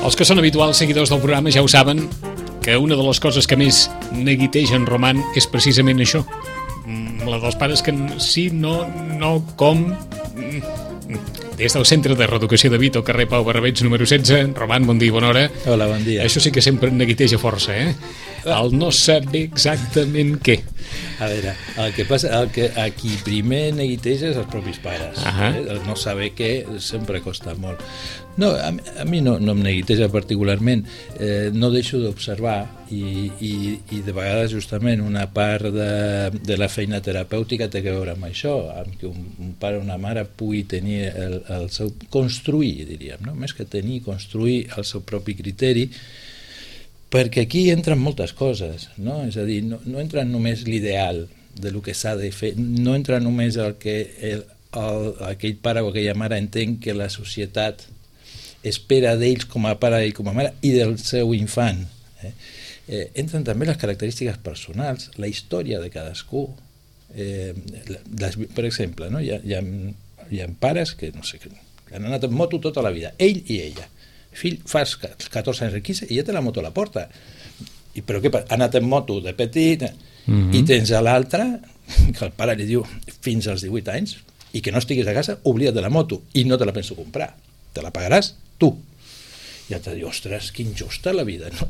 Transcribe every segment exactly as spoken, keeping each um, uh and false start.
Els que són habituals seguidors del programa ja ho saben, que una de les coses que més neguiteja en Roman és precisament això. La dels pares que sí, no, no, com... Des del Centre de Reeducació de Vit, al carrer Pau Barrabets, número setze. Roman, bon dia i bona hora. Hola, bon dia. Això sí que sempre neguiteja força, eh? El no saber exactament què. A veure, el que passa, el que a qui primer neguiteja és els propis pares. Uh-huh. eh? El no saber què sempre costa molt. No, a, a mi no, no em neguiteja particularment. Eh, no deixo d'observar i, i, i de vegades justament una part de, de la feina terapèutica té a veure amb això, amb que un, un pare o una mare pugui tenir el, el seu... construir, diríem, no? Més que tenir, construir el seu propi criteri, perquè aquí entren moltes coses, no? És a dir, no, no entra només l'ideal de lo que s'ha de fer, no entra només el que el, el, aquell pare o aquella mare entén que la societat espera d'ells com a pare i com a mare i del seu infant. Eh? Eh, entren també les característiques personals, la història de cadascú. Eh, les, per exemple, no? hi, ha, hi, ha, hi ha pares que, no sé, que han anat en moto tota la vida, ell i ella. Fill, fas catorze anys, quinze, i ja té la moto a la porta. I, però què passa? Ha anat en moto de petit, mm-hmm. i tens a l'altre, que el pare li diu fins als divuit anys, i que no estiguis a casa, oblida't de la moto, i no te la penso comprar. Te la pagaràs tu. I ja te diu, ostres, que injusta la vida. No?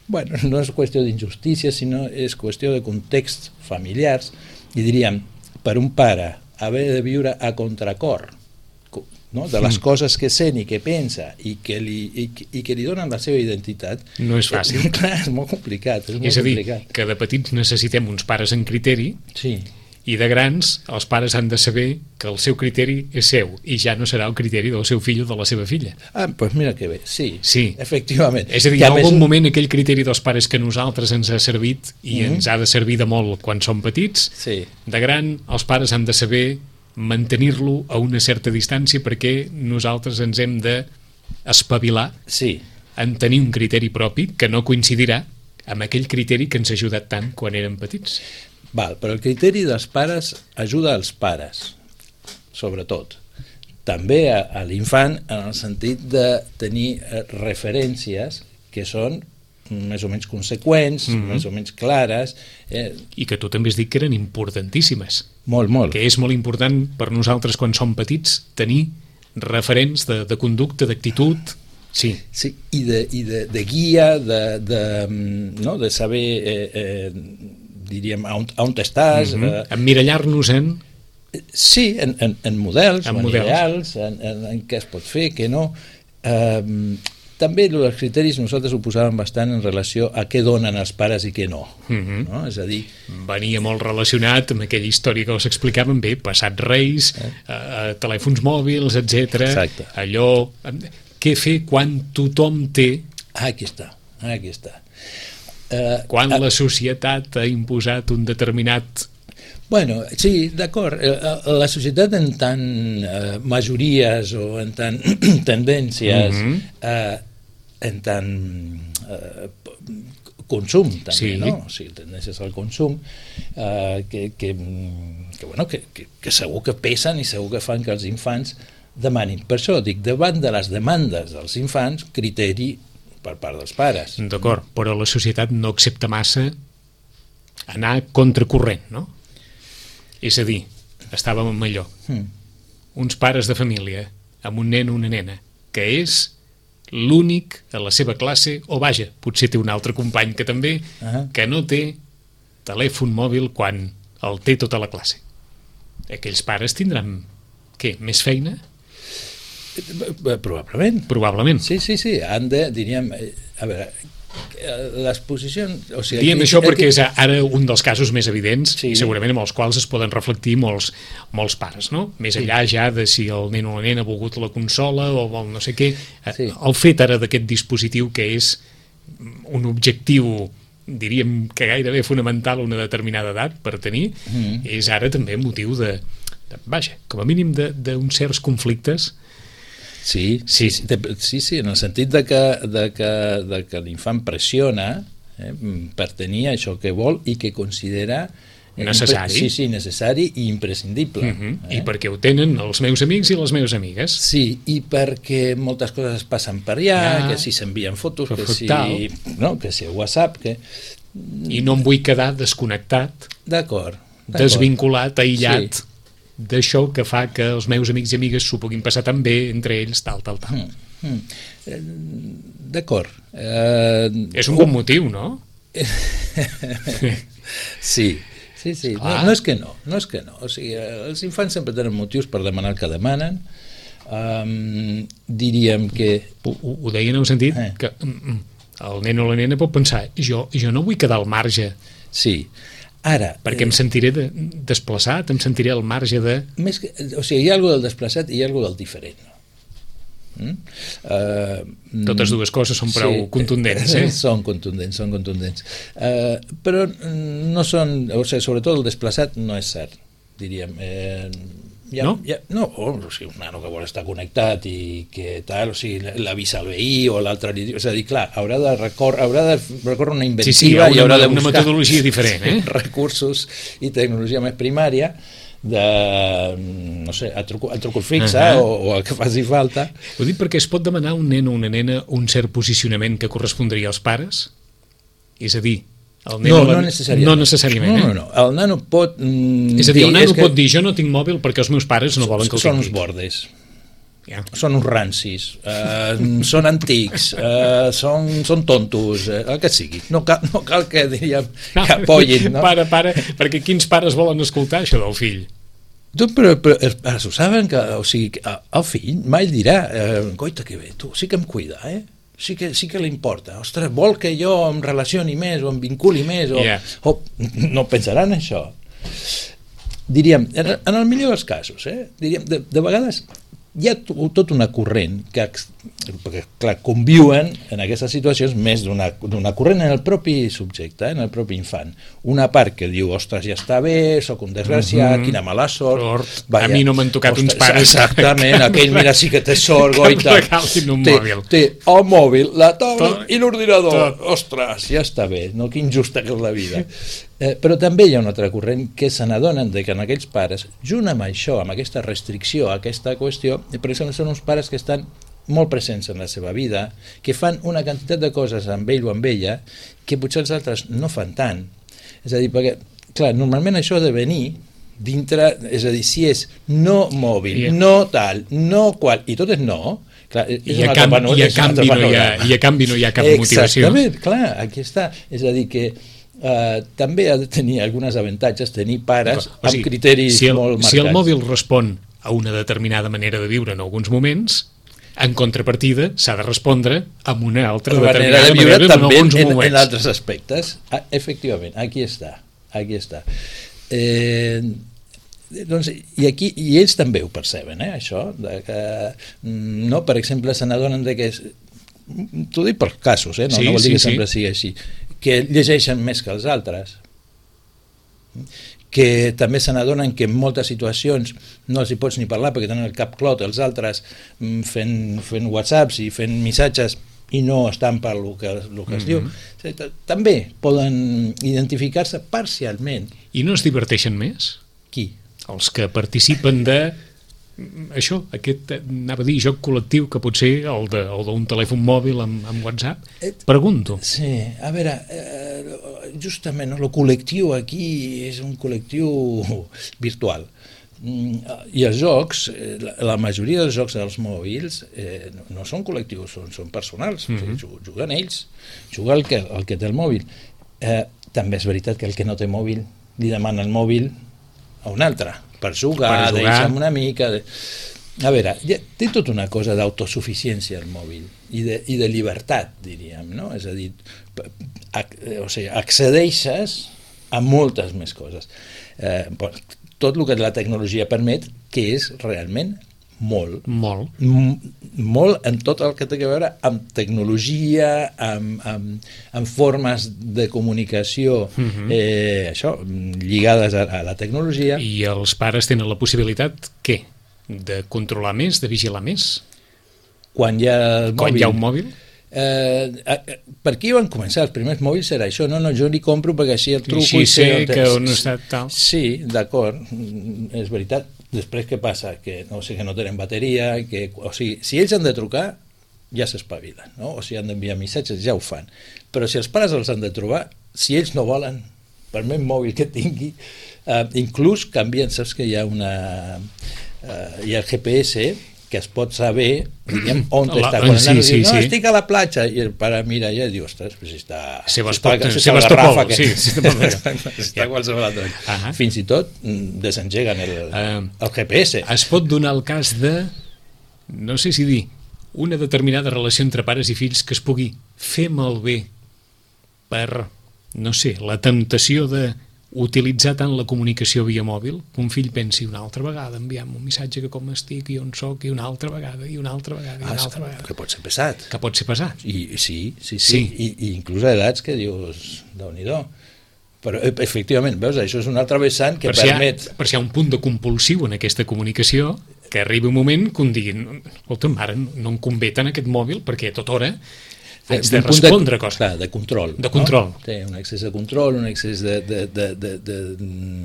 Bueno, no és qüestió d'injustícia, sinó és qüestió de contexts familiars, i diríem, per un pare haver de viure a contracor, no? De les coses que sent i que pensa i que li, i, i que li donen la seva identitat, no és fàcil. Eh, clar, és molt complicat. És, molt és a dir, complicat. Que de petits necessitem uns pares en criteri, sí. I de grans els pares han de saber que el seu criteri és seu i ja no serà el criteri del seu fill o de la seva filla. Ah, doncs pues mira que bé, sí, sí. Efectivament. És a dir, que en més... algun moment aquell criteri dels pares que a nosaltres ens ha servit i mm-hmm. ens ha de servir de molt quan som petits, sí. De gran els pares han de saber mantenir-lo a una certa distància perquè nosaltres ens hem d'espavilar sí. en tenir un criteri propi que no coincidirà amb aquell criteri que ens ha ajudat tant quan érem petits. Val, però el criteri dels pares ajuda als pares, sobretot. També a, a l'infant en el sentit de tenir referències que són més o menys conseqüents, mm-hmm. més o menys clares. Eh... I que tu també has dit que eren importantíssimes. Molt, molt. Que és molt important per nosaltres quan som petits tenir referents de, de conducta, d'actitud... Sí. Sí, i de, i de, de guia, de, de, no? de saber... Eh, eh, diríem, on, on estàs... Mm-hmm. eh... Emmirallar-nos en... Sí, en, en, en models, en, en models. ideals, en, en, en què es pot fer, què no. Eh, també els criteris nosaltres ho posàvem bastant en relació a què donen els pares i què no. Mm-hmm. No? És a dir... Venia molt relacionat amb aquella història que us explicàvem bé, passat reis, eh? eh, telèfons mòbils, etcètera. Exacte. Allò... Què fer quan tothom té... Ah, aquí està, aquí està. Uh, quan uh, la societat ha imposat un determinat... Bueno, sí, d'acord. La societat en tant uh, majories o en tant tendències, mm-hmm. uh, en tant uh, consum també, sí. No? O sigui, tendències al consum, uh, que, que, que, bueno, que, que, que segur que pesen i segur que fan que els infants demanin. Per això dic, davant de les demandes dels infants, criteri per part dels pares. D'acord, però la societat no accepta massa anar contracorrent, no? És a dir, estàvem amb allò, mm. uns pares de família amb un nen o una nena, que és l'únic a la seva classe, o vaja, potser té un altre company que també, uh-huh. que no té telèfon mòbil quan el té tota la classe. Aquells pares tindran, què, més feina? Probablement. Probablement. Sí, sí, sí. Han de, diríem, a veure, les posicions... O sigui, diem aquí, això perquè aquí... és ara un dels casos més evidents, sí. I segurament amb els quals es poden reflectir molts, molts pares, no? Més sí. Enllà ja de si el nen o la nena ha volgut la consola o vol no sé què. Sí. El fet ara d'aquest dispositiu que és un objectiu, diríem que gairebé fonamental a una determinada edat per tenir, mm. és ara també motiu de, de vaja, com a mínim d'uns certs conflictes. Sí, sí, sí, sí, sí, en el sentit de que, de que, de que l'infant pressiona eh, per tenir això que vol i que considera necessari. Sí, sí, necessari i imprescindible. Uh -huh. eh? I perquè ho tenen els meus amics i les meves amigues. Sí, i perquè moltes coses es passen per allà, ja. que si s'envien fotos, que si, no, que si WhatsApp, que... I no em vull quedar desconnectat, d'acord, desvinculat, aïllat sí. d'això que fa que els meus amics i amigues s'ho puguin passar tan bé entre ells, tal, tal, tal. Mm, mm. Eh, d'acord. Eh, és un bon motiu, no? Sí, sí, sí. No, no és que no, no és que no. O sigui, els infants sempre tenen motius per demanar el que demanen. Um, diríem que... Ho, ho deia en el sentit eh. que el nen o la nena pot pensar jo, jo no vull quedar al marge. Sí. Ara... Perquè em sentiré de, desplaçat, em sentiré al marge de... Més que, o sigui, hi ha alguna del desplaçat i hi ha alguna del diferent. Mm? Uh, Totes dues coses són prou sí, contundents, eh? Són contundents, són contundents. Uh, però no són... O sigui, sobretot el desplaçat no és cert, diríem. Eh, ja, no? Ja, no, o sigui, un nano que vol estar connectat i que tal, o sigui, l'avisa al veí o l'altre... És a dir, clar, haurà de recórrer, haurà de recórrer una inventiva sí, sí, una, i haurà de buscar una metodologia diferent, eh? recursos i tecnologia més primària de, no sé, el truco, el truco fixa uh -huh. o, o el que faci falta. Ho dic perquè es pot demanar a un nen o una nena un cert posicionament que correspondria als pares? És a dir, el nen no, la... no necessàriament. No necessàriament, no, eh? no, no. El nano pot... Mm, és a dir, el nano que... pot dir, jo no tinc mòbil perquè els meus pares no volen que el són tingui. uns bordes. Ja. Són uns rancis, uh, són antics, uh, són, són tontos, uh, el que sigui. No cal, no cal que, diríem, que apoyin, no? Para, para, perquè quins pares volen escoltar això del fill? Tu, però, però els pares ho saben, que, o sigui, el fill mai dirà, eh, coita que bé, tu sí que em cuida, eh? Sí que, sí que li importa. Ostres, vol que jo em relacioni més o em vinculi més, o, yeah. o no pensaran això. Diríem, en, en el millor dels casos, eh? Diríem, de, de vegades hi ha tot una corrent que, perquè, clar, conviuen en aquestes situacions més d'una corrent en el propi subjecte, en el propi infant. Una part que diu, ostres, ja està bé, sóc un desgraciat, mm -hmm. quina mala sort. sort. Vaya, a mi no m'han tocat ostres, uns pares. Exactament, aquell mira sí que té sort, goita. Un té, mòbil. té el mòbil, la taula tot, i l'ordinador. Tot. Ostres, ja està bé, no? Que injusta que és la vida. Eh, però també hi ha un altre corrent que se n'adonen de que en aquells pares, junt amb això, amb aquesta restricció, aquesta qüestió, per exemple, són uns pares que estan molt presents en la seva vida, que fan una quantitat de coses amb ell o amb ella que potser els altres no fan tant. És a dir, perquè, clar, normalment això ha de venir dintre, és a dir, si és no mòbil, yeah. no tal, no qual, i tot és no, clar, és I, a camp, pano, i, a canvi no hi ha, i a canvi no hi ha cap motivació. Exactament, clar, aquí està. És a dir, que Uh, també ha de tenir alguns avantatges tenir pares o sigui, amb criteris si el, molt marcats. Si el mòbil respon a una determinada manera de viure en alguns moments, en contrapartida s'ha de respondre amb una altra la determinada manera de viure manera també en alguns en, moments. en altres aspectes. Ah, efectivament, aquí està. Aquí està. Eh, doncs, i, aquí, i ells també ho perceben, eh, això, de que, no, per exemple, se n'adonen de que... T'ho dic per casos, eh, no, sí, no vol dir sí, que sempre sí. sigui així, que llegeixen més que els altres, que també se n'adonen que en moltes situacions no els hi pots ni parlar perquè tenen el cap clot, els altres fent, fent whatsapps i fent missatges i no estan per el que, el que es mm-hmm. diu. També poden identificar-se parcialment. I no es diverteixen més? Qui? Els que participen de això, aquest, anava a dir, joc col·lectiu que pot ser el d'un telèfon mòbil amb, amb WhatsApp. Pregunto. Sí, a veure, eh, justament el col·lectiu aquí és un col·lectiu virtual. I els jocs, la majoria dels jocs dels mòbils eh, no són col·lectius, són, són personals. Mm-hmm. O sigui, juguen ells, juga el que, el que té el mòbil. Eh, també és veritat que el que no té mòbil li demana el mòbil a un altre per jugar, per jugar. Deixa'm una mica de... a veure, té tota una cosa d'autosuficiència el mòbil i de, i de llibertat, diríem, no? És a dir, o sigui, accedeixes a moltes més coses, eh, tot el que la tecnologia permet, que és realment molt molt, molt en tot el que té a veure amb tecnologia, amb, amb, amb formes de comunicació, uh-huh. eh, això, lligades a, a la tecnologia. I els pares tenen la possibilitat, què? De controlar més, de vigilar més? Quan hi ha el Quan mòbil, hi ha un mòbil? Eh, eh, per aquí van començar els primers mòbils, era això, no, no, jo li compro perquè així el truco així i sé sé on que és. on està tal. Sí, d'acord, és veritat. Després què passa? Que no, o sigui, que no tenen bateria, que, o sigui, si ells han de trucar ja s'espavilen, no? O sigui, han d'enviar missatges, ja ho fan, però si els pares els han de trobar, si ells no volen, per més mòbil que tingui, eh, inclús canvien, saps que hi ha una eh, hi ha el G P S que es pot saber, diguem, on la, està. Quan sí, el sí, diu, no, sí. estic a la platja, i el pare mira allà i diu, ostres, però si està... Sebastopol, si està, si Sebastopol, que... sí, sí, si està a qualsevol altre. Uh -huh. Fins i tot desengeguen el, uh, el G P S. Es pot donar el cas de, no sé si dir, una determinada relació entre pares i fills que es pugui fer malbé per, no sé, la temptació de utilitzar tant la comunicació via mòbil que un fill pensi una altra vegada, enviar-me un missatge que com estic i on soc, i una altra vegada, i una altra vegada, i una ah, altra vegada. Que pot ser pesat. Que pot ser pesat. I, sí, sí, sí. sí. I, i inclús a edats que dius, Déu-n'hi-do. Però, efectivament, veus, això és un altre vessant que per si permet... Ha, per si hi ha un punt de compulsiu en aquesta comunicació, que arribi un moment que un diguin, escolta, mare, no em convé tant aquest mòbil perquè a tota hora haig de respondre de, coses. Clar, de control. De control. No? Té un excés de control, un excés de... de, de, de, de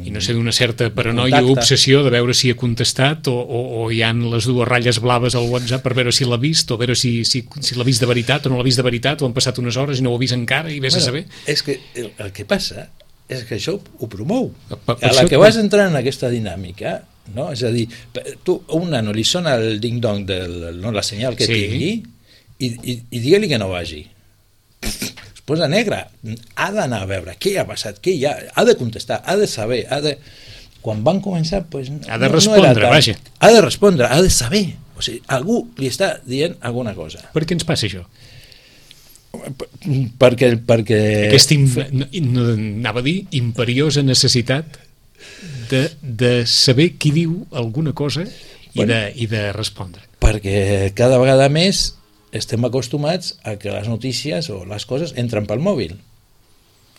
I no sé, d'una certa paranoia o obsessió de veure si ha contestat o, o, o hi han les dues ratlles blaves al WhatsApp per veure si l'ha vist o veure si, si, si l'ha vist de veritat o no l'ha vist de veritat o han passat unes hores i no ho ha vist encara i vés bueno, a saber. És que el, el que passa és que això ho promou. Per, per a la això, que vas entrar en aquesta dinàmica, no? És a dir, tu a un nano li sona el ding-dong, del, no, la senyal que sí. tingui i, i, i digue-li que no vagi. Es posa negre, ha d'anar a veure què ha passat, què hi ha, ha de contestar, ha de saber, ha de... Quan van començar, pues, ha de respondre, no tan... vaja. Ha de respondre, ha de saber. O sigui, algú li està dient alguna cosa. Per què ens passa això? Perquè... perquè... Aquesta, no, no, anava a dir, imperiosa necessitat de, de saber qui diu alguna cosa i, bueno, de, i de respondre. Perquè cada vegada més estem acostumats a que les notícies o les coses entren pel mòbil.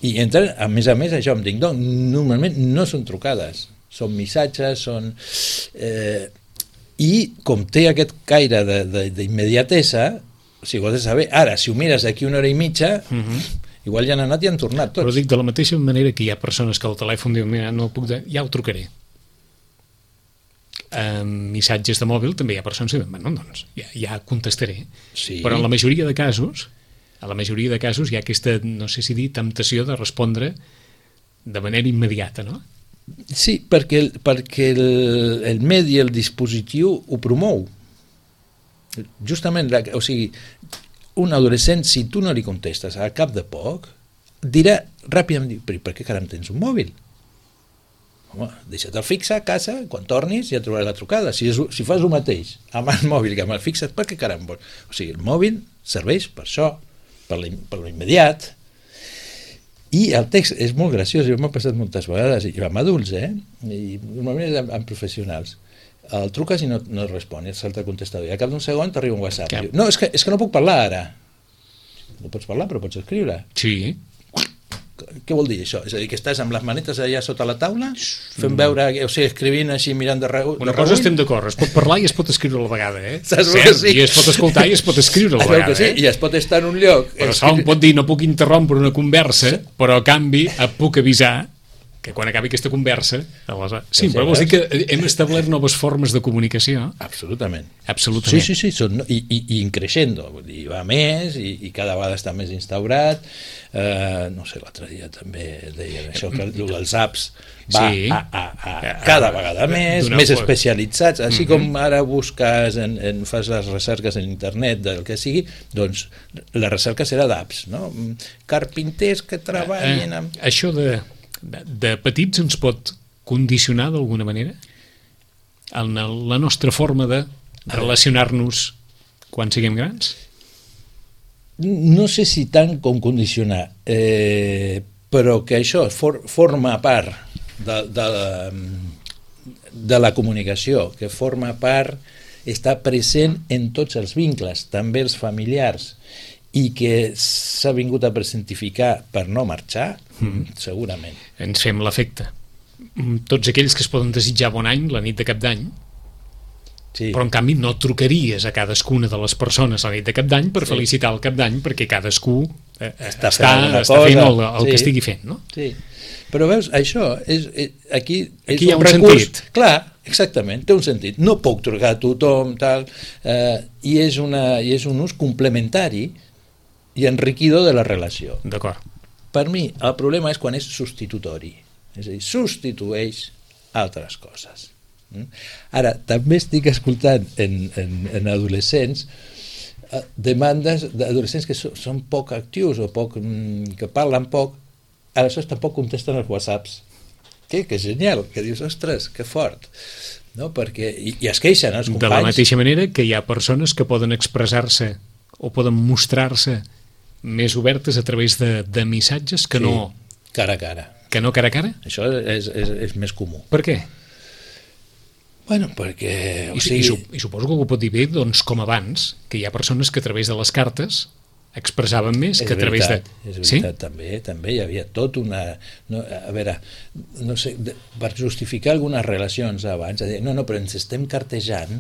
I entren, a més a més, això amb ding-dong, normalment no són trucades, són missatges, són... Eh, I com té aquest caire d'immediatesa, o sigui, ho has de saber, ara, si ho mires d'aquí una hora i mitja, uh -huh. igual ja han anat i han tornat tots. Però dic, de la mateixa manera que hi ha persones que al telèfon diuen, mira, no puc de... ja ho trucaré. En missatges de mòbil també hi ha persones que diuen, bueno, doncs, ja, ja contestaré. Sí. Però en la majoria de casos, a la majoria de casos hi ha aquesta, no sé si dir, temptació de respondre de manera immediata, no? Sí, perquè, el, perquè el, el medi, el dispositiu ho promou. Justament, la, o sigui, un adolescent, si tu no li contestes al cap de poc, dirà ràpidament, però per què caram tens un mòbil? Home, deixa't el fixa a casa, quan tornis ja trobaràs la trucada. Si, és, si fas el mateix amb el mòbil que amb el fixat, per què caram vols? O sigui, el mòbil serveix per això, per l'immediat. I el text és molt graciós, jo m'ha passat moltes vegades, i amb adults, eh? I normalment és amb, amb professionals. El truques i no, no respon, et salta el contestador, i al cap d'un segon t'arriba un WhatsApp. Diu, no, és que, és que no puc parlar ara. No pots parlar, però pots escriure. Sí. Què vol dir això? És a dir, que estàs amb les manetes allà sota la taula, fent veure, o sigui, escrivint així, mirant de reu... Una cosa estem d'acord, es pot parlar i es pot escriure a la vegada, eh? Saps Cert, sí? I es pot escoltar i es pot escriure a la vegada, sí? eh? I es pot estar en un lloc... Però escri... pot dir, no puc interrompre una conversa, sí. Però a canvi et puc avisar que quan acabi aquesta conversa... Aleshores... Sí, però vols dir que hem establert noves formes de comunicació? Absolutament. Absolutament. Sí, sí, sí, són, i, i, i increixendo, vull dir, va més i, i cada vegada està més instaurat. Uh, no sé, l'altre dia també deia això, que els apps va sí. a, a, a cada vegada més, més especialitzats, així uh-huh. com ara busques, en, en, fas les recerques en internet del que sigui, doncs la recerca serà d'apps, no? Carpinters que treballin amb... Uh, uh, això de, de, de petits ens pot condicionar d'alguna manera en la nostra forma de relacionar-nos quan siguem grans? No sé si tant com condicionar, eh, però que això for, forma part de, de, la, de la comunicació, que forma part, està present en tots els vincles, també els familiars, i que s'ha vingut a presentificar per no marxar, mm. segurament. Ens fem l'efecte. Tots aquells que es poden desitjar bon any la nit de cap d'any Sí. Però en canvi no trucaries a cadascuna de les persones a la nit de Cap d'Any per sí. felicitar el Cap d'Any, perquè cadascú eh, està, està, fent, està fent el, el sí. que estigui fent, no? Sí. Però veus, això és, és, aquí, és aquí hi ha un, un recurs, sentit. Clar, exactament, té un sentit. No puc trucar a tothom, tal, eh, i, és una, i és un ús complementari i enriquidor de la relació. D'acord. Per mi, el problema és quan és substitutori, és a dir, substitueix altres coses. Ara, també estic escoltant en, en, en adolescents eh, demandes d'adolescents que so, són poc actius o poc, mm, que parlen poc, aleshores tampoc contesten els whatsapps. Que, que genial, que dius, ostres, que fort. No? Perquè, i, i es queixen els companys. De la mateixa manera que hi ha persones que poden expressar-se o poden mostrar-se més obertes a través de, de missatges que sí, no... cara a cara. Que no cara a cara? Això és, és, és més comú. Per què? Bueno, perquè... O I, sigui... i, I suposo que ho pot dir bé, doncs, com abans, que hi ha persones que a través de les cartes expressaven més és que a través veritat, de... És veritat, sí? també, també hi havia tot una... No, a veure, no sé, de, per justificar algunes relacions abans, a dir, no, no, però ens estem cartejant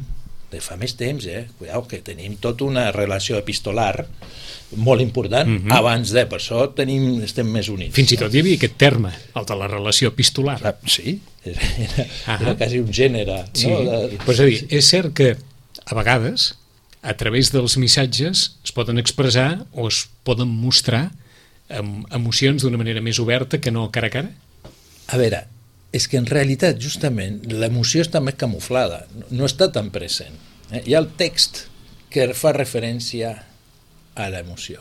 de fa més temps, eh? Cuidao, que tenim tota una relació epistolar molt important, mm -hmm. abans de, per això tenim, estem més units. Fins i tot hi havia aquest terme, el de la relació epistolar. Ah, sí, era, era, era quasi un gènere. Sí, no? De... pues és a dir, és cert que a vegades a través dels missatges es poden expressar o es poden mostrar emocions d'una manera més oberta que no cara a cara? A veure, és que en realitat justament l'emoció està més camuflada, no està tan present. Eh? Hi ha el text que fa referència a l'emoció.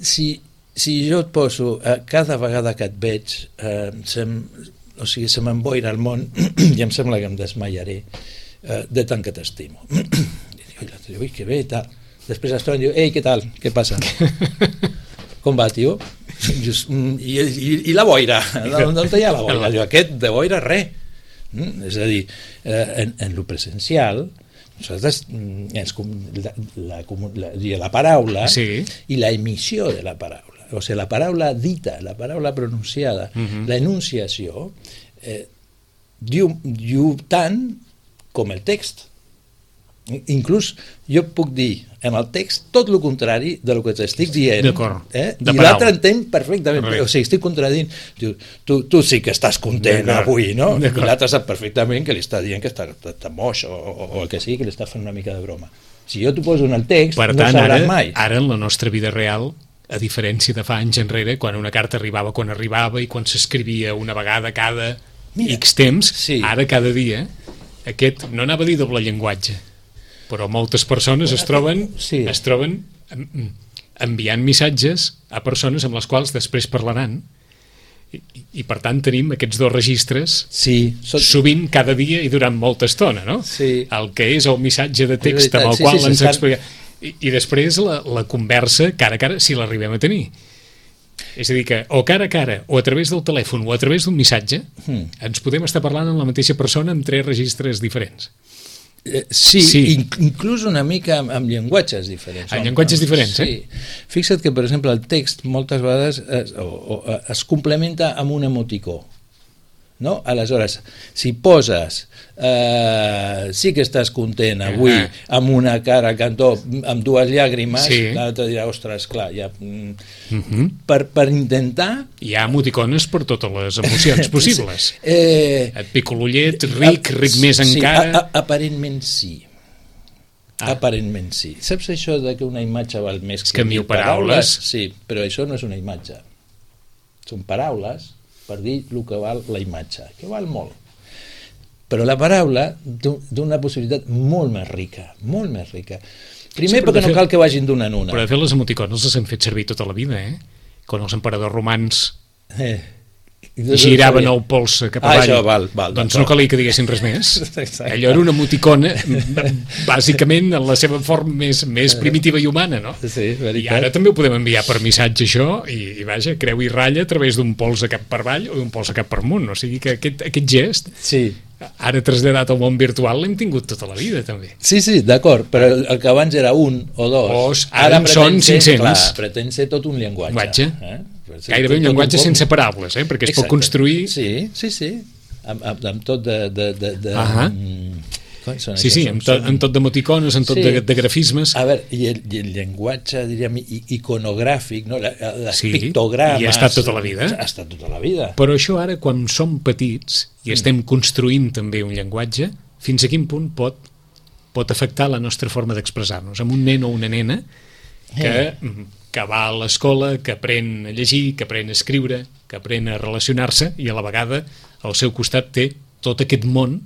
Si, si jo et poso, eh, cada vegada que et veig, eh, sem, o sigui, se m'emboira el món i em sembla que em desmaiaré eh, de tant que t'estimo. I l'altre diu, ui, que bé, tal. Després es troba i diu, ei, què tal? Què passa? Com va, tio? Just, i, i, I la boira? On hi ha la boira? Diu, aquest de boira, res. Mm? És a dir, eh, en, en lo presencial, nosaltres, ens, la, la, la, la paraula sí. i la emissió de la paraula, o sigui, la paraula dita, la paraula pronunciada, uh-huh. la enunciació, eh, diu, diu tant com el text. Inclús jo puc dir en el text tot el contrari de lo que t'estic dient, eh? I l'altre entén perfectament, o sigui, estic contradint, diu, tu, tu sí que estàs content avui, no? I l'altre sap perfectament que li està dient que està, està moix o, o, o el que sigui, que li està fent una mica de broma. Si jo t'ho poso en el text, per no tant, sabràs ara, mai. Ara en la nostra vida real, a diferència de fa anys enrere, quan una carta arribava quan arribava i quan s'escrivia una vegada cada Mira, X temps, sí. Ara cada dia aquest, no anava a dir doble llenguatge, però moltes persones es troben, sí. es troben enviant missatges a persones amb les quals després parlaran i, i per tant tenim aquests dos registres sí, tot... sovint cada dia i durant molta estona, no? Sí. El que és el missatge de text amb el sí, qual sí, ens sí, explica I, i després la, la conversa cara a cara, si l'arribem a tenir. És a dir que o cara a cara o a través del telèfon o a través d'un missatge hmm. ens podem estar parlant amb la mateixa persona amb tres registres diferents. Eh, sí, sí. In, inclús una mica amb, amb llenguatges diferents. Amb llenguatges diferents, sí. eh? Fixa't que, per exemple, el text moltes vegades es, o, o, es complementa amb un emoticó. No? Aleshores, si poses eh, sí que estàs content avui uh -huh. amb una cara cantó amb dues llàgrimes, sí. L'altre dirà, ostres, clar, ja, uh -huh. per, per intentar... Hi ha emoticones per totes les emocions possibles. eh, Et pico l'ullet, ric, ric més sí, encara... A, a, aparentment sí. Ah. Aparentment sí. Saps això de que una imatge val més que, que mil paraules? Sí, però això no és una imatge. Són paraules per dir el que val la imatge, que val molt. Però la paraula d'una possibilitat molt més rica, molt més rica. Primer sí, perquè no fet, cal que vagin d'una en una. Però de fet les emoticones les han fet servir tota la vida, eh? Quan els emperadors romans eh. giraven el polze cap avall, ah, això, val, val, doncs no calia que diguessin res més. Exacte. Allò era una emoticona bàsicament en la seva forma més, més primitiva i humana, no? Sí, veritat. I ara també ho podem enviar per missatge això i, i vaja, creu i ratlla a través d'un polze cap per avall o d'un polze cap per amunt, o sigui que aquest, aquest gest sí. ara traslladat al món virtual l'hem tingut tota la vida també. Sí, sí, d'acord, però el, el que abans era un o dos, Os, ara, ara són cinc-cents. Clar, pretén ser tot un llenguatge. Eh? Gairebé un llenguatge un sense paraules, eh? Perquè es Exacte. Pot construir... Sí, sí, sí, amb, amb, amb tot de... de, de, de uh -huh. Són sí, sí, en, to, en tot d'emoticones, en tot sí. de, de grafismes. A veure, i el, i el llenguatge, diríem, iconogràfic, no? Les sí, pictogrames... i ha estat tota la vida. Ha estat tota la vida. Però això ara, quan som petits i estem construint també un llenguatge, fins a quin punt pot, pot afectar la nostra forma d'expressar-nos? Amb un nen o una nena que, eh. que va a l'escola, que aprèn a llegir, que aprèn a escriure, que aprèn a relacionar-se, i a la vegada al seu costat té tot aquest món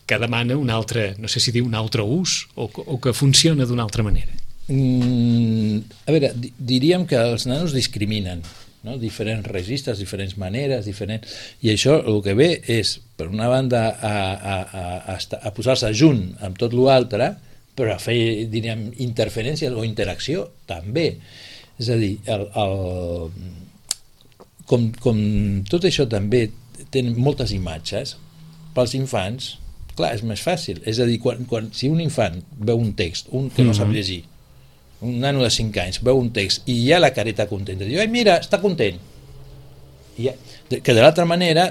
que demana un altre, no sé si dir un altre ús, o, o que funciona d'una altra manera. Mm, a veure, diríem que els nanos discriminen, no? Diferents registres, diferents maneres, diferents... i això el que ve és, per una banda, a, a, a, a posar-se junt amb tot l'altre, però a fer, diríem, interferències o interacció també. És a dir, el, el, com, com tot això també té moltes imatges, pels infants, clar, és més fàcil. És a dir, quan, quan, si un infant veu un text, un que no sap llegir, un nano de cinc anys veu un text i hi ha la careta contenta, diu, ai, mira, està content. I ja, que de l'altra manera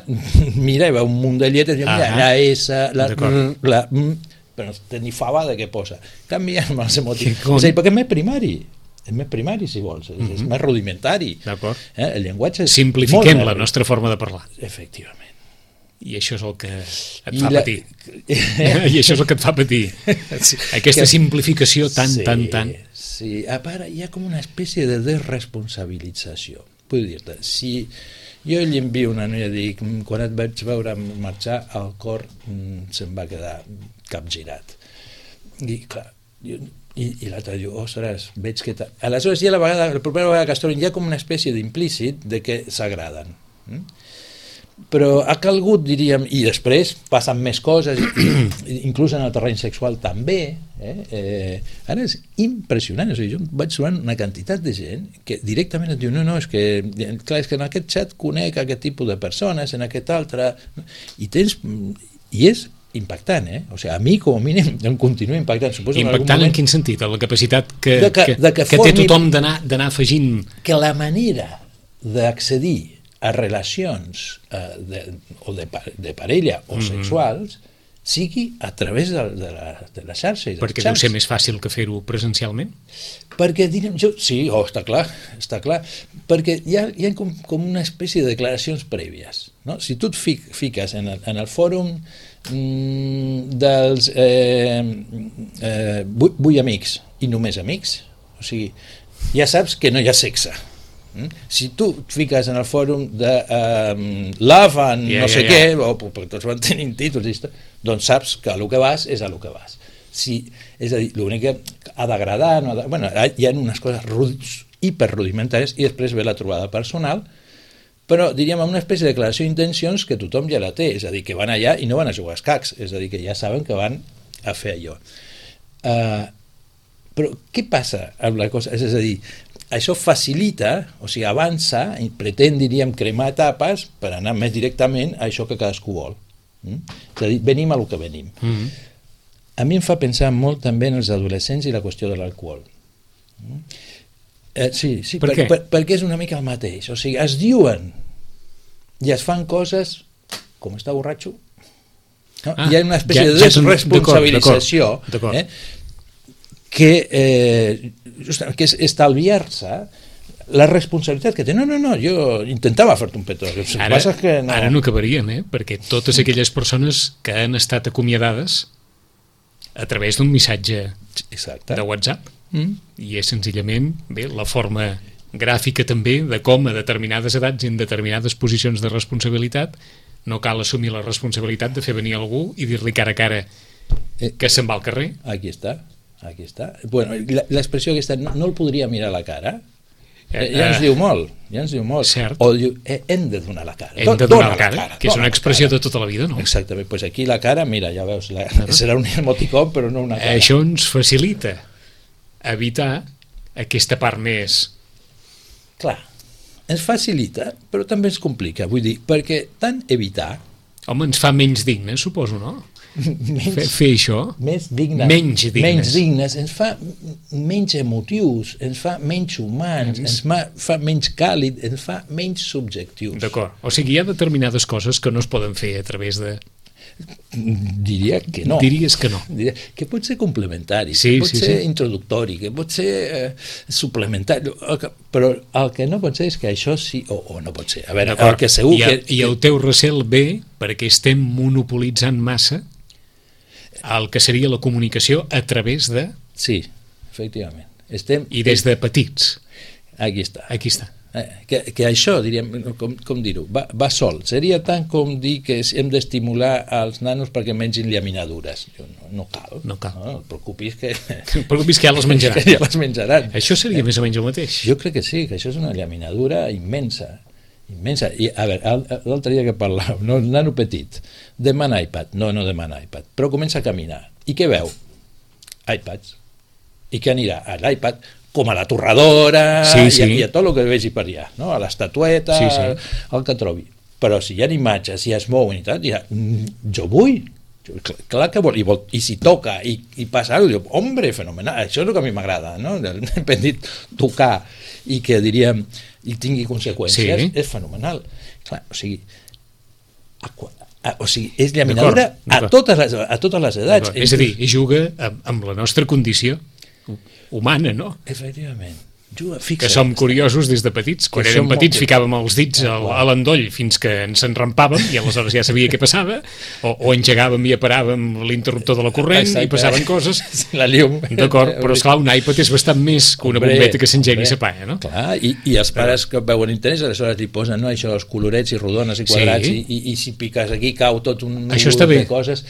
mira i veu un munt de lletres, diu, mira, la S, la R, la M, però no té ni fava de què posa. Canvia amb els emotius. És a dir, perquè és més primari. És més primari, si vols. És, és més rudimentari. Eh? El llenguatge és simplifiquem la nostra forma de parlar. Efectivament. I això és el que et I fa la... patir. I això és el que et fa patir. Sí, aquesta que... simplificació tan, sí, tan, tan... Sí, a part, hi ha com una espècie de desresponsabilització. Vull dir-te, si jo li envio una noia i dic, quan et vaig veure marxar, el cor mm, se'm va quedar capgirat. I, clar, jo, i, i l'altre diu, ostres, veig que... Aleshores, ja la, vegada, la propera vegada que es troben, hi ha com una espècie d'implícit de que s'agraden. Mm? Però ha calgut, diríem, i després passen més coses, inclús en el terreny sexual també, eh? Eh, ara és impressionant, o sigui, jo vaig trobant una quantitat de gent que directament et diu, no, no, és que, clar, és que en aquest xat conec aquest tipus de persones, en aquest altre, i tens, i és impactant, eh? O sigui, a mi com a mínim em continua impactant. Suposo impactant en, moment, en quin sentit? La capacitat que, de que, que, de que, que té tothom d'anar afegint... Que la manera d'accedir a relacions eh, de, o de, de parella o mm-hmm. sexuals sigui a través de, de, la, de la xarxa i dels perquè xats. Deu ser més fàcil que fer-ho presencialment? Perquè, direm, jo, sí, oh, està clar, està clar, perquè hi ha, hi ha com, com una espècie de declaracions prèvies, no? Si tu et fic, fiques en el, en el fòrum mm, dels eh, eh, vull, vull amics i només amics, o sigui, ja saps que no hi ha sexe. Mm? Si tu et fiques en el fòrum de um, Love and yeah, no sé yeah, yeah. què, o perquè tots van tenint títols, doncs saps que a lo que vas és a lo que vas. Si, és a dir, l'únic que ha d'agradar, no ha de, bueno, hi ha unes coses ruds, hiperrudimentàries, i després ve la trobada personal, però diríem amb una espècie de declaració d'intencions que tothom ja la té, és a dir, que van allà i no van a jugar a escacs, és a dir, que ja saben que van a fer allò. Uh, però què passa amb la cosa? És a dir, això facilita, o sigui, avança i pretén, diríem, cremar etapes per anar més directament a això que cadascú vol. Mm? És a dir, venim a lo que venim. Mm-hmm. A mi em fa pensar molt també en els adolescents i la qüestió de l'alcohol. Mm? Eh, sí, sí, per per, per, perquè és una mica el mateix. O sigui, es diuen i es fan coses com està borratxo. No? Ah, hi ha una espècie ja, de desresponsabilització eh? que, eh, justament, que és estalviar-se la responsabilitat que té. No, no, no, jo intentava fer-te un petó. Ara, que no... ara no acabaríem, eh? Perquè totes aquelles persones que han estat acomiadades a través d'un missatge Exacte. De WhatsApp mm. i és senzillament bé, la forma gràfica també de com a determinades edats i en determinades posicions de responsabilitat no cal assumir la responsabilitat de fer venir algú i dir-li cara a cara que se'n va al carrer. Aquí està, aquí està. Bueno, l'expressió aquesta, no, no el podria mirar a la cara, eh, ja ens diu molt, ja ens diu molt. Cert. O diu, eh, hem de donar la cara. Hem de donar la cara, la cara, que és una expressió de tota la vida, no? Exactament, doncs pues aquí la cara, mira, ja veus, la, serà un emoticon, però no una cara. Això ens facilita evitar aquesta part més... Clar, ens facilita, però també ens complica, vull dir, perquè tant evitar... Home, ens fa menys dignes, suposo, no? Menys, fer, fer això més dignes, menys dignes. menys dignes ens fa menys emotius, ens fa menys humans, ens fa, fa menys càlid, ens fa menys subjectius. D'acord, o sigui, hi ha determinades coses que no es poden fer a través de... Diria que no. Diries que no. Diria que pot ser complementari, sí, que pot sí, ser sí. introductori, que pot ser eh, suplementari, però el que no pot ser és que això sí, o, o no pot ser. A veure, el que segur I, que... I el teu recel ve perquè estem monopolitzant massa el que seria la comunicació a través de... Sí, efectivament. Estem... I des de petits. Aquí està. Aquí està. Eh, que, que això, diríem, com, com dir-ho, va, va sol. Seria tant com dir que hem d'estimular els nanos perquè mengin llaminadures. No, no cal. No cal. No, no et preocupis que... No et preocupis que ja les menjaran. Que ja les menjaran. Això seria eh? més o menys el mateix. Jo crec que sí, que això és una llaminadura immensa. Immensa. I, a veure, l'altre dia que parlàvem, no, el nano petit, demana iPad. No, no demana iPad. Però comença a caminar. I què veu? iPads. I què anirà? A l'iPad, com a la torradora, sí, sí. I, a, i a tot el que vegi per allà, no? A l'estatueta, sí, sí. el que trobi. Però si hi ha imatges, si es mouen i tal, ja, jo vull, jo, clar que vol, i, vol, i si toca i, i passa alguna cosa, hombre, fenomenal, això és el que a mi m'agrada, no? Hem dit tocar i que diríem, i tingui conseqüències, sí. És fenomenal. Clar, o sigui, a, a, o sigui, és llaminadura a totes les, a totes les edats. És a dir, juga amb, amb la nostra condició humana, no? Efectivament. Juga, fixa't. Que som curiosos des de petits. Quan érem petits ficàvem els dits a, a l'endoll fins que ens enrampàvem i aleshores ja sabia què passava, o, o engegàvem i aparàvem l'interruptor de la corrent. Exacte. I passaven coses. La llum. D'acord, però esclar, un iPad és bastant més que una hombre, bombeta que s'engegui i s'apaga, no? Clar, i, i els pares que veuen interès aleshores li posen, no, això, els colorets i rodones i quadrats, sí. i, i, i si piques aquí cau tot un número de coses.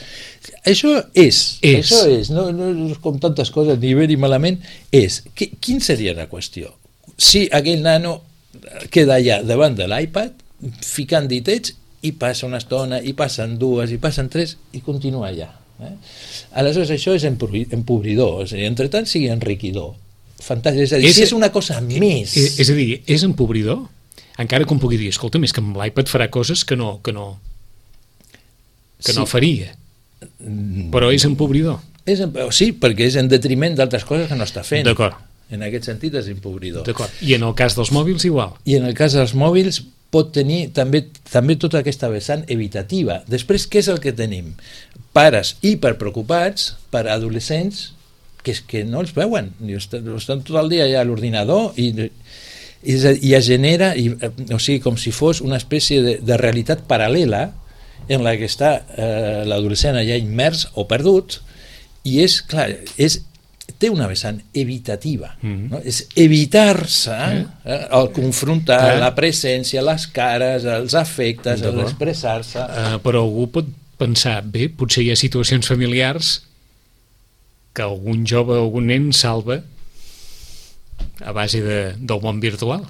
Això és, és. Això és, no, no com tantes coses, ni bé ni malament, és. Qu quin seria la qüestió? Si aquell nano queda allà davant de l'iPad, ficant ditets, i passa una estona, i passen dues, i passen tres, i continua allà. Eh? Aleshores, això és empobridor, és a dir, entre tant sigui enriquidor. Fantàstic, és a dir, és, si és una cosa més... És, és a dir, és empobridor? Encara que em pugui dir, escolta, més que amb l'iPad farà coses que no, que no, que sí. no faria. Però és empobridor. És, sí, perquè és en detriment d'altres coses que no està fent. D'acord. En aquest sentit és empobridor. D'acord. I en el cas dels mòbils igual? I en el cas dels mòbils pot tenir també, també tota aquesta vessant evitativa. Després, què és el que tenim? Pares hiperpreocupats per adolescents que, és que no els veuen. Estan, estan tot el dia allà a l'ordinador i, i, i es genera, i, o sigui, com si fos una espècie de, de realitat paral·lela en la que està eh, l'adolescent allà immers o perdut, i és, clar, és té una vessant evitativa, mm-hmm. no? És evitar-se eh? Eh, el confrontar eh? la presència, les cares, els afectes, l'expressar-se. Uh, però algú pot pensar, bé, potser hi ha situacions familiars que algun jove o algun nen salva a base de, del món virtual.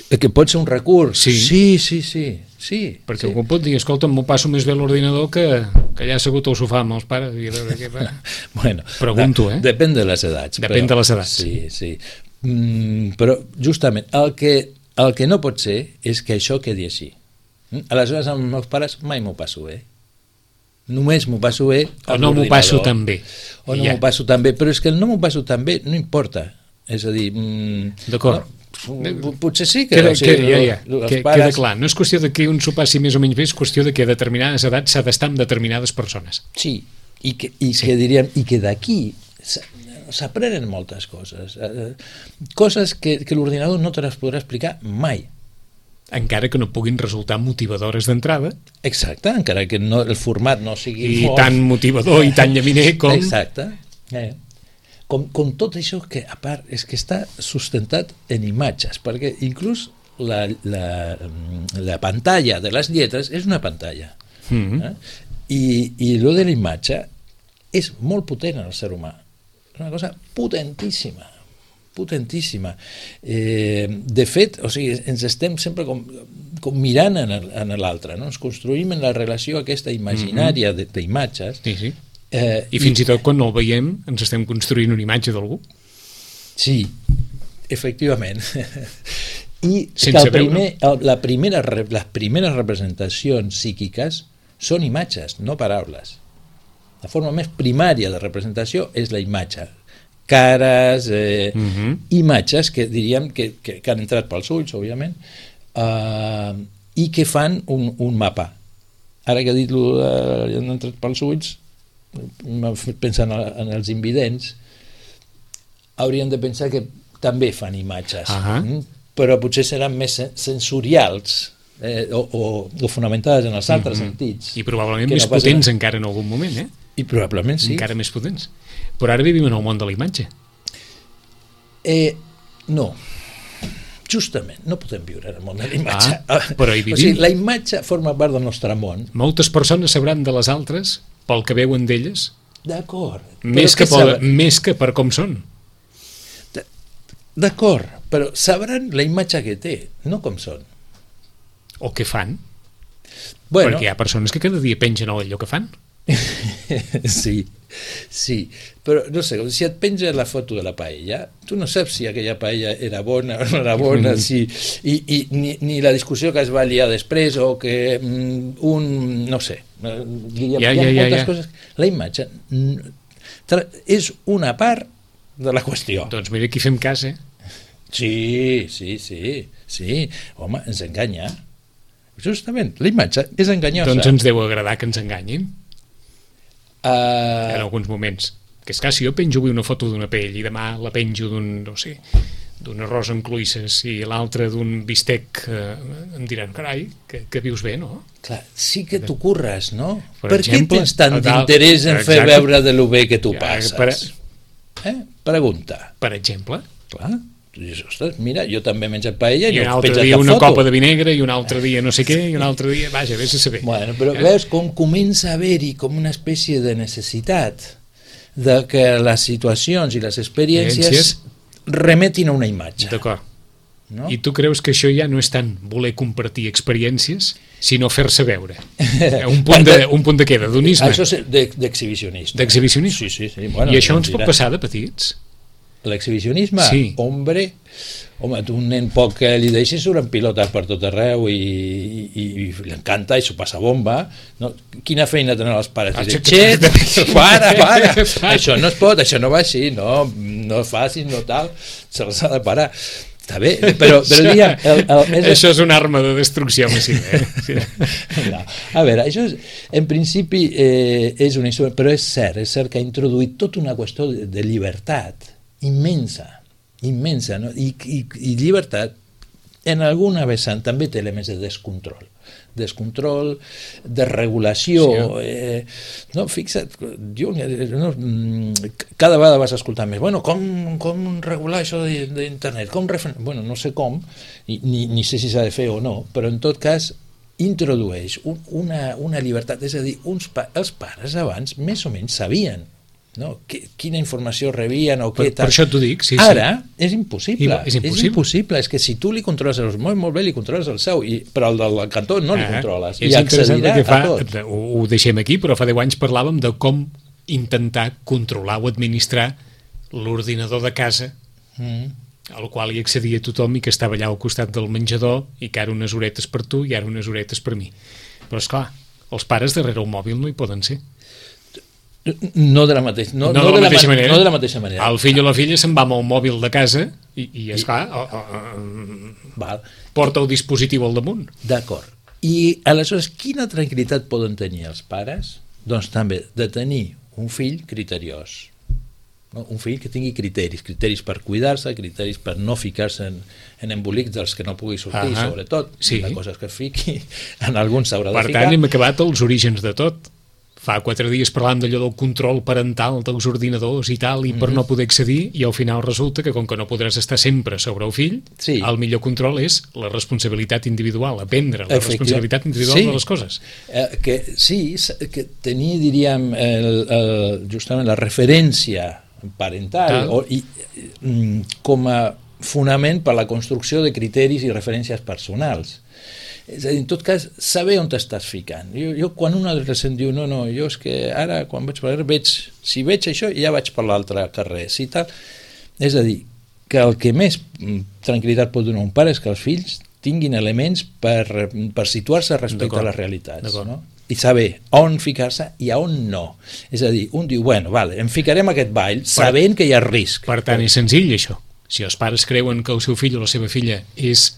Que pot ser un recurs. Sí, sí, sí, sí. sí perquè sí. algú pot dir, escolta, m'ho passo més bé a l'ordinador que, que allà assegut al sofà amb els pares i a veure què fa. Bueno, pregunto, eh? Depèn de les edats. Depèn però, de les edats. Sí, sí. Mm, però justament el que, el que no pot ser és que això quedi així. Aleshores amb els meus pares mai m'ho passo bé. Només m'ho passo bé o no m'ho passo tan bé. O no ja. m'ho passo tan bé, però és que el no m'ho passo tan bé no importa. És a dir... Mm, d'acord. No, potser sí que, queda, o sigui, queda, ja, ja. Que, pares... queda clar, no és qüestió de que un s'ho passi més o menys bé, és qüestió de que a determinades edats s'ha d'estar amb determinades persones. Sí, i que, i sí. que diríem i que d'aquí s'aprenen moltes coses, coses que, que l'ordinador no te les podrà explicar mai, encara que no puguin resultar motivadores d'entrada. Exacte, encara que no, el format no sigui i molt... tan motivador i tan llaminer com... Exacte, eh. Com, com tot això que a part és que està sustentat en imatges, perquè inclús la, la, la pantalla de les lletres és una pantalla, mm-hmm. eh? i, i lo de la imatge és molt potent en el ser humà, és una cosa potentíssima potentíssima eh, de fet, o sigui, ens estem sempre com, com mirant en l'altre, no? Ens construïm en la relació aquesta imaginària mm-hmm. d'imatges. Sí, sí. Eh, I fins i, i tot quan no el veiem ens estem construint una imatge d'algú. Sí, efectivament. I que el primer, el, la primera, les primeres representacions psíquiques són imatges, no paraules. La forma més primària de representació és la imatge. Cares, eh, uh-huh. imatges que diríem que, que, que han entrat pels ulls, òbviament, eh, i que fan un, un mapa. ara que ha dit lo de, han entrat pels ulls, m'ha fet pensar en, en els invidents, haurien de pensar que també fan imatges, uh-huh. mm? però potser seran més sensorials eh, o, o, o fonamentades en els altres uh-huh. sentits. I probablement més no potents encara en algun moment, eh? I probablement sí. Encara més potents. Però ara vivim en el món de la imatge. Eh, no. Justament, no podem viure en el món de la imatge. Ah, però hi vivim. O sigui, la imatge forma part del nostre món. Moltes persones sabran de les altres pel que veuen d'elles. D'acord. Més, que per, més que per com són. D'acord, però sabran la imatge que té, no com són. O què fan. Bueno, perquè hi ha persones que cada dia pengen allò que fan. sí, sí, però no sé, si et penja la foto de la paella, tu no saps si aquella paella era bona o no era bona, mm. si, i, i ni, ni la discussió que es va liar després, o que mm, un, no sé, hi ha, ja, hi ha ja, moltes ja, ja. coses. La imatge és una part de la qüestió. Doncs mira, aquí fem cas, eh? Sí, sí, sí, sí, home, ens enganya. Justament, la imatge és enganyosa. Doncs ens deu agradar que ens enganyin. Uh... En alguns moments. Que és clar, si jo penjo avui una foto d'una pell i demà la penjo d'un, no sé, d'un arròs amb cloïsses i l'altre d'un bistec, eh, em diran, carai, que, que vius bé, no? Clar, sí que t'ho curres, no? Per, per exemple, què tens tant d'interès en fer veure de lo bé que tu ja, passes? Per... Eh? Pregunta. Per exemple? Clar. Dius, ostres, mira, jo també he menjat paella i, i un no altre dia una foto. Copa de vinegre i un altre dia no sé què i un altre dia, vaja, vés a saber. Bueno, però eh? veus com comença a haver-hi com una espècie de necessitat de que les situacions i les experiències Ciències? remetin a una imatge. D'acord. No? I tu creus que això ja no és tant voler compartir experiències, sinó fer-se veure? Un punt de, un punt de què? D'hedonisme? Això és d'exhibicionisme. D'exhibicionisme? Sí, sí, sí. Bueno, I això ens pot passar de petits? L'exhibicionisme? Sí. Hombre, home, tu un nen poc que li deixis suren pilotes per tot arreu i, i, i l'encanta i s'ho passa bomba, no? Quina feina tenen els pares? Ah, Dic, xet, para, para, això no es pot, això no va així, no, no facis, no tal, se'ls ha de parar. Està bé, però, però diguem... El, el, és... Això és una arma de destrucció massiva. Eh? Sí. No. A veure, això és, en principi eh, és un instrument, però és cert, és cert que ha introduït tota una qüestió de, de llibertat immensa, immensa, no? I, i, i llibertat en alguna vessant també té elements de descontrol, descontrol, de regulació, sí. eh, no, fixa't, jo, no, cada vegada vas escoltar més, bueno, com, com regular això d'internet, com refer... bueno, no sé com, ni, ni sé si s'ha de fer o no, però en tot cas introdueix un, una, una llibertat, és a dir, uns pa els pares abans més o menys sabien, no? Quina informació rebien o què per, tal. Per això t'ho dic, sí, Ara sí. és impossible. I, és impossible. És impossible, és que si tu li controles els molt, molt bé, li controles el seu, i, però el del cantó no li ah, controles. I accedirà fa, a tot. Ho, ho deixem aquí, però fa deu anys parlàvem de com intentar controlar o administrar l'ordinador de casa, mm. al qual hi accedia tothom i que estava allà al costat del menjador i que ara unes horetes per tu i ara unes horetes per mi. Però esclar, els pares darrere el mòbil no hi poden ser. No de la, mateix, no, no, no, de la de mateixa la, manera. no de la mateixa manera. El fill o la filla se'n va amb el mòbil de casa i, i esclar, I, o, o, val. porta el dispositiu al damunt. D'acord. I aleshores, quina tranquil·litat poden tenir els pares? Doncs també de tenir un fill criteriós. No? Un fill que tingui criteris, criteris per cuidar-se, criteris per no ficar-se en, en embolics dels que no pugui sortir, uh -huh. sobretot, sí. de coses que fiqui, en alguns s'haurà de per ficar. Per tant, hem acabat els orígens de tot. Fa quatre dies parlant d'allò del control parental dels ordinadors i tal, i per mm -hmm. no poder accedir, i al final resulta que com que no podràs estar sempre sobre el fill, sí. el millor control és la responsabilitat individual, aprendre la responsabilitat individual sí. de les coses. Eh, que, sí, que tenir, diríem, el, el, justament la referència parental o, i, com a fonament per la construcció de criteris i referències personals. És a dir, en tot cas, saber on t'estàs ficant. Jo, jo quan un adolescent diu, no, no, jo és que ara, quan vaig per veig, si veig això, ja vaig per l'altre carrer, si tal. És a dir, que el que més tranquil·litat pot donar un pare és que els fills tinguin elements per, per situar-se respecte a les realitats, no? I saber on ficar-se i a on no. És a dir, un diu, bueno, vale, em ficarem a aquest ball sabent que hi ha risc. Per tant, és senzill, això. Si els pares creuen que el seu fill o la seva filla és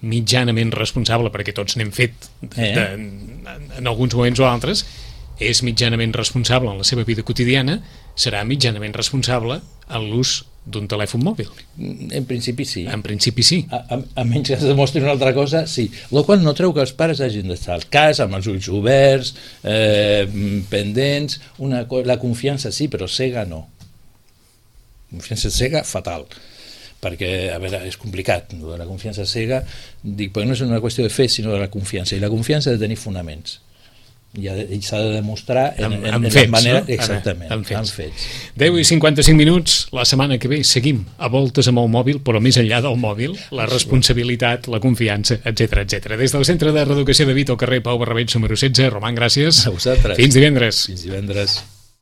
mitjanament responsable, perquè tots n'hem fet de, Eh. de, en alguns moments o altres, és mitjanament responsable en la seva vida quotidiana, serà mitjanament responsable en l'ús d'un telèfon mòbil. En principi sí. En principi sí. A, a, a menys que es demostri una altra cosa, sí. El qual no treu que els pares hagin d'estar al cas, amb els ulls oberts, eh, pendents, una, la confiança sí, però cega no. Confiança cega, fatal. Perquè, a veure, és complicat, no? La confiança cega, dic, perquè no és una qüestió de fe, sinó de la confiança, i la confiança ha de tenir fonaments. I, ha de, i s'ha de demostrar en, amb, en, amb en fets, manera, no? exactament, amb fets. amb fets. deu i cinquanta-cinc minuts, la setmana que ve seguim a voltes amb el mòbil, però més enllà del mòbil, la responsabilitat, la confiança, etcètera, etcètera. Des del Centre de Reeducació de Vic, al carrer Pau Barrabets, número setze, Roman, gràcies. A vosaltres. Fins divendres. Fins divendres.